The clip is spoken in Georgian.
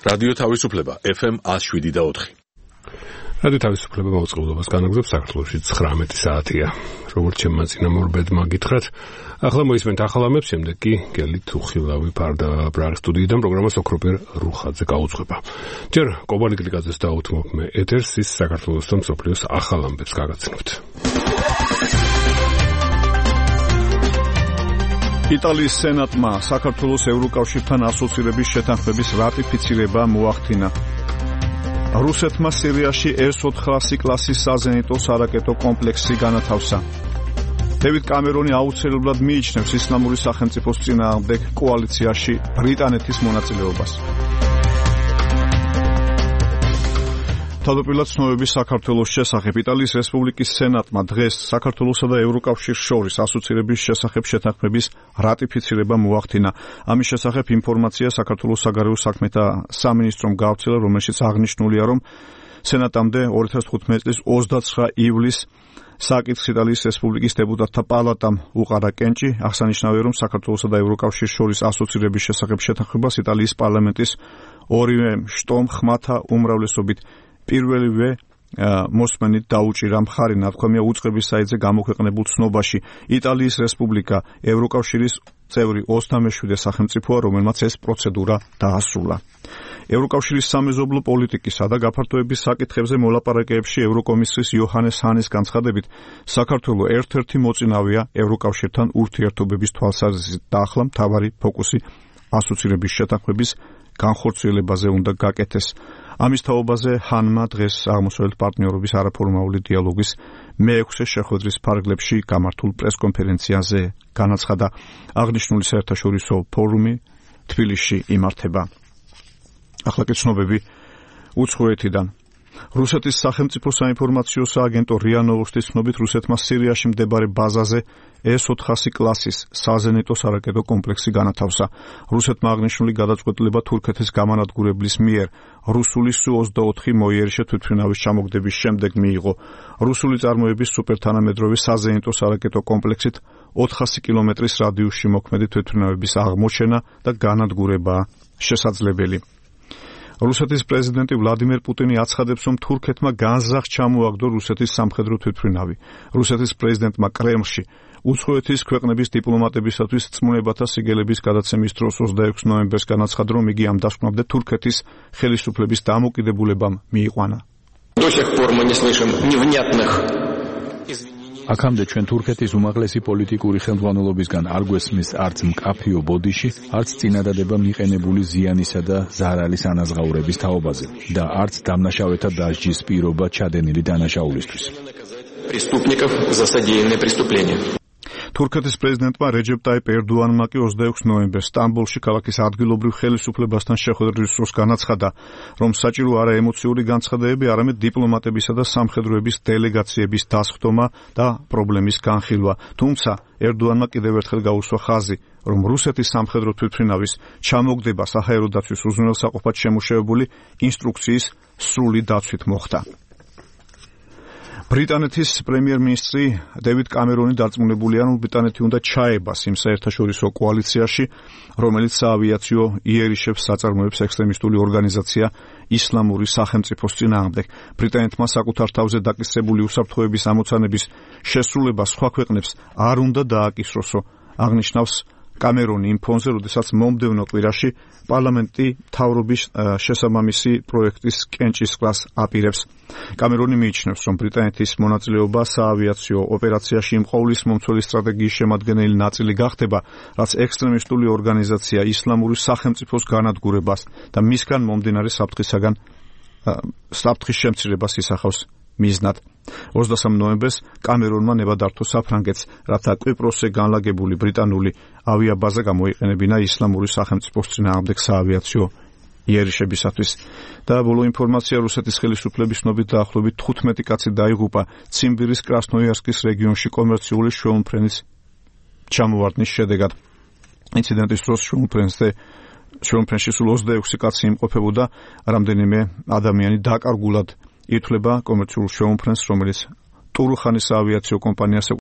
რადიო თავისუფლება FM 107.4. რადიო თავისუფლება მოწყობილობას განაგრძობს საქართველოში 19 საათია. როგორც ჩემმა წინამორბედმა გითხრათ, ახლა მოისმენთ ახალ ამებს, შემდეგ კი გელით უხილავი ფარდა ბრაღის სტუდიიდან პროგრამას ოქროპერ რუხაძე გაუძღვება. ჯერ კობალი გლიკაძეს დაუთმობ მე ეთერს, ის საქართველოს და მსოფლიოს ახალ ამბებს გაგაცნობთ. იტალიის სენატმა საქართველოს ევროკავშირთან ასოცირების შეთანხმების რატიფიცირება მოახდინა. რუსეთმა სირიაში S-400 კლასის საზენიტო სარაკეტო კომპლექსი განათავსა. დევიდ კამერონი აუცილებლად მიიჩნევს ისლამური სახელმწიფოს წინააღმდეგ კოალიციაში ბრიტანეთის მონაწილეობას. თავდაპირველად ცნობების საქართველოს შესახებ იტალიის რესპუბლიკის სენატმა დღეს საქართველოსა და ევროკავშირს შორის ასოცირების შესახებ შეთანხმების რატიფიცირება მოახდინა. ამის შესახებ ინფორმაცია საქართველოს საგარეო საქმეთა სამინისტრომ გავრცელა, რომელშიც აღნიშნულია, რომ სენატამდე 2015 წლის 29 ივლისს საკითხს იტალიის რესპუბლიკის დეპუტატთა პალატამ უყარა კენჭი. აღსანიშნავია, რომ საქართველოსა და ევროკავშირს შორის ასოცირების შესახებ შეთანხმებას იტალიის პარლამენტის ორივე შტომ ხმათა უმრავლესობით პირველივე მოსმენით დაუჭირა. მხარი ნათქვამია უწყების საიტზე გამოქვეყნებულ ცნობაში. იტალიის რესპუბლიკა ევროკავშირის წევრი 27 სახელმწიფოა, რომელმაც ეს პროცედურა დაასრულა. ევროკავშირის სამეზობლო პოლიტიკისა და გაფართოების საკითხებზე მოლაპარაკებებში ევროკომისრის იოჰანეს ჰანის განცხადებით, საქართველო ერთ-ერთი მოწინავეა ევროკავშირთან ურთიერთობების თვალსაზრისით და ახლა მთავარი ფოკუსი ასოცირების შეთანხმების განხორციელებაზე უნდა გაკეთდეს. ამის თაობაზე ჰანმა დღეს აღმოსავლეთ პარტნიორობის არაფორმალური დიალოგის მე-6 შეხვედრის ფარგლებში გამართულ პრესკონფერენციაზე განაცხადა. აღნიშნული საერთაშორისო ფორუმი თბილისში იმართება. ახლა კი ცნობები უცხოეთიდან. რუსეთის სახელმწიფო საინფორმაციო სააგენტო რია ნოვოსტის ცნობით, რუსეთმა სირიაში მდებარე ბაზაზე S-400 კლასის საზენიტო სარაკეტო კომპლექსი განათავსა. რუსეთმა აღნიშნული გადაწყვეტილება თურქეთის გამანადგურებლის მიერ რუსული Su-24 მოიერიშე თვითმფრინავის ჩამოგდების შემდეგ მიიღო. რუსული წარმოების სუპერთანამედროვე საზენიტო სარაკეტო კომპლექსით 400 კილომეტრის რადიუსში მოქმედი თვითმფრინავების აღმოჩენა და განადგურებაა შესაძლებელი. რუსეთის პრეზიდენტი ვლადიმერ პუტინი აცხადებს, რომ თურქეთმა განზრახ ჩამოაგდო რუსეთის სამხედრო თვითმფრინავი. რუსეთის პრეზიდენტმა კრემლში უცხოეთის ქვეყნების დიპლომატებისათვის წმუნებათა სიგელების გადაცემის დროს 26 ნოემბერს განაცხადა, რომ იგი ამ დასკვნამდე თურქეთის ხელისუფლების დამოკიდებულებამ მიიყვანა. აქამდე ჩვენ თურქეთის უმაღლესი პოლიტიკური ხელმძღვანელობისგან არ გვესმის არც მკაფიო ბოდიში, არც წინადადება მიყენებული ზიანისა და ზარალის ანაზღაურების თაობაზე და არც დამნაშავეთა დასჯის პირობა ჩადენილი დანაშაულისთვის. თურქეთის პრეზიდენტმა რეჯეპ ტაიპ ერდოანმა კი 26 ნოემბერს სტამბოლში ქალაქის ადგილობრივ ხელისუფლებასთან შეხვედრის დროს განაცხადა, რომ საჭირო არა ემოციური განცხადებები, არამედ დიპლომატებისა და სამხედროების დელეგაციების დასხდომა და პრობლემის განხილვა. თუმცა ერდოანმა კიდევ ერთხელ გაუსვა ხაზი, რომ რუსეთის სამხედრო თვითმფრინავის ჩამოგდება საჰაერო დაცვის უზრუნველსაყოფად შემუშავებული ინსტრუქციის სრული დაცვით მოხდა. ბრიტანეთის პრემიერ-მინისტრი დევიდ კამერონი დარწმუნებულია, რომ ბრიტანეთი უნდა ჩაებას იმ საერთაშორისო კოალიციაში, რომელიც საავიაციო იერიშებს საწარმოებს ექსტრემისტული ორგანიზაცია ისლამური სახელმწიფოს წინააღმდეგ. ბრიტანეთმა საკუთარ თავზე დაკისრებული უსაფრთხოების ამოცანების შესრულება სხვა ქვეყნებს არ უნდა დააკისროსო, აღნიშნავს კამერონი იმ ფონზე, როდესაც მომდევნო კვირაში პარლამენტი მთავრობის შესაბამისი პროექტის კენჭისყრას აპირებს. კამერონი მიიჩნევს, რომ ბრიტანეთის მონაწილეობა საავიაციო ოპერაციაში იმ ყოვლის მომცველი სტრატეგიის შემადგენელი ნაწილი გახდება, რაც ექსტრემისტული ორგანიზაცია ისლამური სახელმწიფოს განადგურებას და მისგან მომდინარე საფრთხის შემცირებას ისახავს მიზნად. 23 ნოემბერს კამერონმა ნება დართო საფრანგეთს, რათა კვიპროსზე განლაგებული ბრიტანული ავიაბაზა გამოიყენებინა ისლამური სახელმწიფოს წინააღმდეგ საავიაციო იერიშებისათვის. და ბოლო ინფორმაცია, რუსეთის ხელისუფლების ცნობით დაახლოებით 15 კაცი დაიღუპა ციმბირის კრასნოიარსკის რეგიონში კომერციული შვეულმფრენის ჩამოვარდნის შედეგად. ინციდენტის დროს შვეულმფრენში სულ 26 კაცი იმყოფებოდა, რამდენიმე ადამიანი დაკარგულად ითვლება კომერციულ შვეულმფრენს, რომელიც ტურუხანის საავიაციო კომპანიას